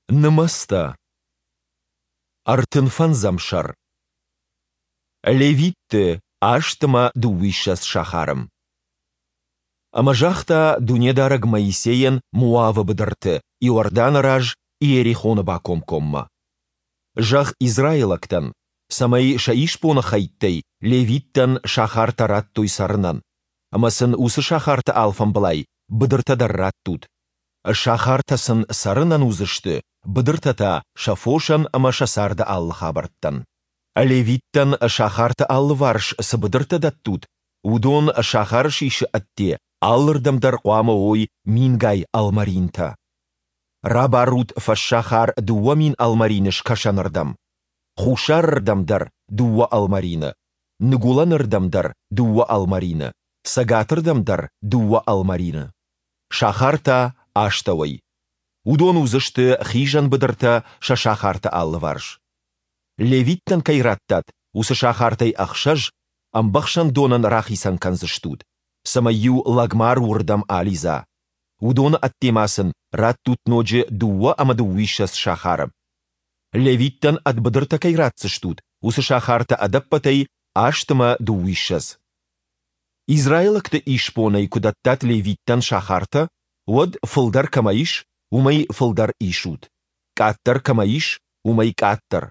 Нымӕцтӕ. Ӕртын фӕндзӕм сӕр. Левитты аст ӕмӕ дыууиссӕдз сахары. Ӕмӕ загъта Дунедарӕг Моисейӕн Моавы быдырты, Иорданы раз, Иерихоны бакомкоммӕ: Зӕгъ израилӕгтӕн, цӕмӕй сӕ исбоны хӕйттӕй левиттӕн сахартӕ раттой цӕрынӕн, ӕмӕ сын уыцы сахарты алфамбылай быдыртӕ дӕр раттут. Сахартӕ сын цӕрынӕн уыдзысты, быдыртӕ та сӕ фосӕн ӕмӕ сӕ царды алы хабӕрттӕн. Левиттӕн сахарты алыварс цы быдыртӕ дӕттут, уыдон сахары сисы ӕдде алырдӕм дӕр хъуамӕ уой мингай ӕлмӕринтӕ. Рабарут фӕссахар 2000 ӕлмӕрины скӕсӕнырдӕм, хуссарырдӕм дӕр дыууӕ ӕлмӕрины, ныгуылӕнырдӕм дӕр дыууӕ ӕлмӕрины, цӕгатырдӕм дӕр дыууӕ ӕлмӕрины. Сахар та астӕуӕй. Уыдон уыдзысты хизӕн быдыртӕ сӕ сахарты алыварс. Левиттӕн кӕй радтат, уыцы сахартӕй ӕхсӕз ӕмбӕхсӕндонӕн рахицӕн кӕндзыстут, цӕмӕй-иу лӕгмар уырдӕм алидза. Уыдоны ӕдде ма сын раттут ноджы дыууӕ ӕмӕ дыууиссӕдз сахары. Левиттӕн ӕд быдыртӕ кӕй ратдзыстут, уыцы сахартӕ ӕдӕппӕтӕй аст ӕмӕ дыууиссӕдз. Израилӕгты исбонӕй куы дӕттат левиттӕн сахартӕ, уӕд фылдӕр кӕмӕ ис, уымӕй фылдӕр исут, къаддӕр кӕмӕ ис, уымӕй къаддӕр.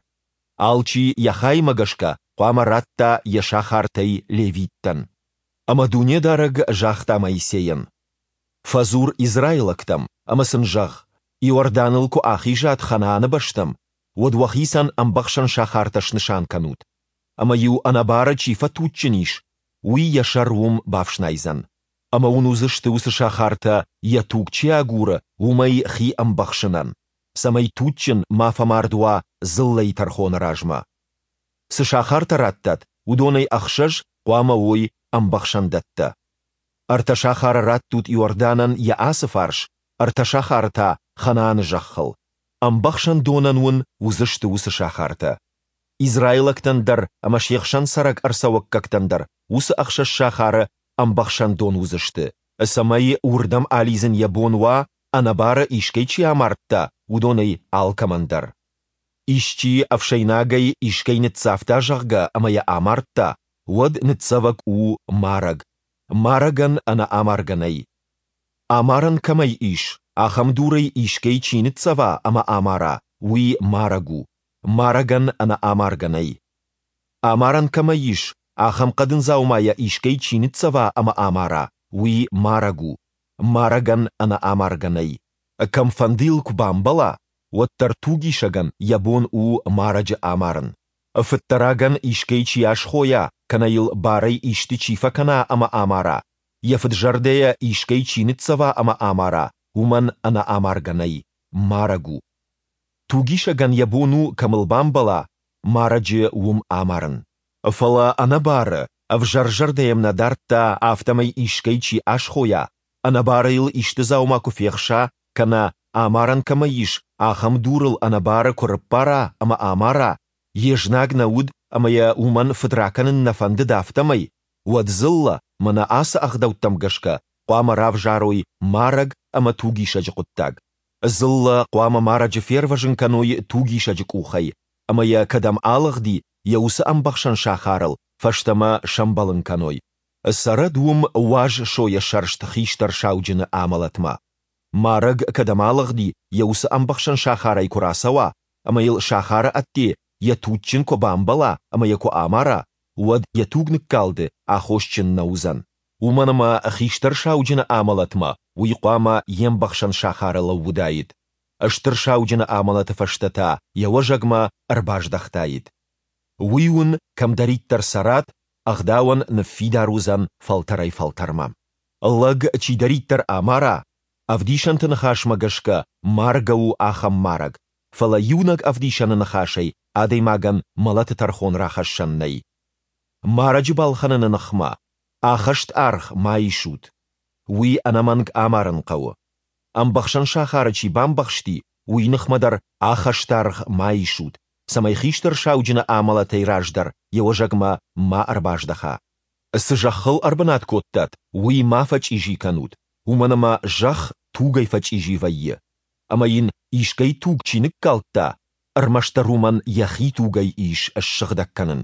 Алчи йӕ хаймӕ гӕсгӕ хъуамӕ ратта йӕ сахартӕй левиттӕн. Ӕмӕ Дунедарӕг загъта Моисейӕн, Фӕдзур израилӕгтӕм ӕмӕ сын зӕгъ, Иорданыл куы ахизат Ханааны бӕстӕм, уӕд уӕхицӕн ӕмбӕхсӕн сахартӕ снысан кӕнут. Ӕмӕ-иу ӕнӕбары чи фӕтуджджын ис, уый йӕ сӕр уым бафснайдзӕн. Ӕмӕ уын уыдзысты уыцы сахартӕ, йӕ туг чи агуры, уымӕй хи ӕмбӕхсынӕн, цӕмӕй туджджын ма фӕмард уа дзыллӕйы тӕрхоны размӕ. Цы сахартӕ раттат, уыдонӕй ӕхсӕз хъуамӕ уой ӕмбӕхсӕндӕттӕ. Ӕртӕ сахары раттут Иорданӕн йӕ ацы фарс, ӕртӕ сахары та Ханааны зӕххыл. Ӕмбӕхсӕндонӕн уын уыдзысты уыцы сахартӕ. Израилӕгтӕн дӕр ӕмӕ се хсӕн цӕрӕг ӕрцӕуӕггӕгтӕн дӕр уыцы ӕхсӕз сахары ӕмбӕхсӕндон уыдзысты, цӕмӕй уырдӕм алидзын йӕ бон уа, ӕнӕбары искӕй чи амардта, уыдонӕй алкӕмӕн дӕр. Исчи ӕфсӕйнагӕй искӕй ныццавта, зӕгъгӕ, ӕмӕ йӕ амардта, уӕд ныццӕвӕг у марӕг, марӕгӕн ӕнӕ амаргӕ нӕй. Амарӕн кӕмӕй ис, ахӕм дурӕй искӕй чи ныццӕва ӕмӕ амара, уый марӕг у, марӕгӕн ӕнӕ амаргӕ нӕй. Амарӕн кӕмӕй ис, ахӕм хъӕдын дзаумайӕ искӕй чи ныццӕва ӕмӕ амара, уый марӕг у, марӕгӕн ӕнӕ амаргӕ нӕй. Кӕмфӕнды йыл куы бамбӕла, уӕддӕр тугисӕгӕн йӕ бон у марӕджы амарын. Фыддӕрагӕн искӕй чи асхойа кӕнӕ йыл барӕй исты чи фӕкӕна ӕмӕ амара, йӕ фыд-зӕрдӕйӕ искӕй чи ныццӕва ӕмӕ амара, уымӕн ӕнӕ амаргӕ нӕй, марӕг у. Тугисӕгӕн йӕ бон у, кӕм ыл бамбӕла, марӕджы уым амарын. Фӕлӕ ӕнӕбары, ӕвзӕр зӕрдӕ йӕм нӕ дардта, афтӕмӕй искӕй чи асхойа, ӕнӕбары йыл исты дзаума куы фехса кӕнӕ, амарӕн кӕмӕй ис, ахӕм дур ыл ӕнӕбары куы рыппара ӕмӕ амара, йе знаг нӕ уыд ӕмӕ йӕ уымӕн фыдракӕнын нӕ фӕндыд, афтӕмӕй, уӕд дзыллӕ, мӕнӕ ацы ӕгъдӕуттӕм гӕсгӕ, хъуамӕ равзарой марӕг ӕмӕ тугисӕджы хъуыддаг. Дзыллӕ хъуамӕ марӕджы фервӕзын кӕной тугисӕджы къухӕй, ӕмӕ йӕ кӕдӕм алыгъди, йӕ уыцы ӕмбӕхсӕн сахарыл фӕстӕмӕ сӕмбӕлын кӕной. Цӕрӕд уым уаз сойӕ сӕрст хистӕр сауджыны амӕлӕтмӕ. Марӕг кӕдӕм алыгъди, йӕ уыцы ӕмбӕхсӕн сахарӕй куы рацӕуа, ӕмӕ йыл сахары ӕдде йӕ туджджын куы бамбӕла ӕмӕ йӕ куы амара, уӕд йӕ тугныккалды аххосджын нӕ уыдзӕн, уымӕн ӕмӕ хистӕр сауджыны амӕлӕтмӕ уый хъуамӕ йе мбӕхсӕн сахары лӕууыдаид, стыр сауджыны амӕлӕты фӕстӕ та йӕ уӕзӕгмӕ ӕрбаздӕхтаид. Уый уын, кӕмдӕриддӕр цӕрат, ӕгъдауӕн ныффидар уыдзӕн фӕлтӕрӕй-фӕлтӕрмӕ. Лӕг чидӕриддӕр амара, ӕвдисӕнты ныхасмӕ гӕсгӕ маргӕ у ахӕм марӕг, фӕлӕ иунӕг ӕвдисӕны ныхасӕй адӕймагӕн мӕлӕты тӕрхон рахӕссӕн нӕй. Марӕджы балхӕныны ныхмӕ ӕххӕст аргъ ма исут. Уый ӕнӕмӕнг амарын хъӕуы. Ӕмбӕхсӕн сахары чи бамбӕхсти, уый ныхмӕ дӕр ӕххӕстаргъ ма исут, цӕмӕй хистӕр сауджыны амӕлӕтӕй раздӕр йӕ уӕзӕгмӕ ма ӕрбаздӕха. Цы зӕххыл ӕрбынат кодтат, уый ма фӕчъизи кӕнут, уымӕн ӕмӕ зӕхх тугӕй фӕчъизи вӕййы. ӕмӕ йын искӕй туг чи ныккалдта, ӕрмӕстдӕр уымӕн йӕхи тугӕй ис ссыгъдӕг кӕнын.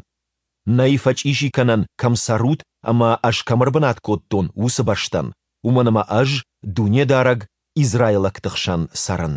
Нӕй фӕчъизи кӕнӕн, кӕм цӕрут ӕмӕ Ӕз кӕм ӕрбынат кодтон, уыцы бӕстӕн, уымӕн ӕмӕ Ӕз, Дунедарӕг, израилӕгты хсӕн цӕрын.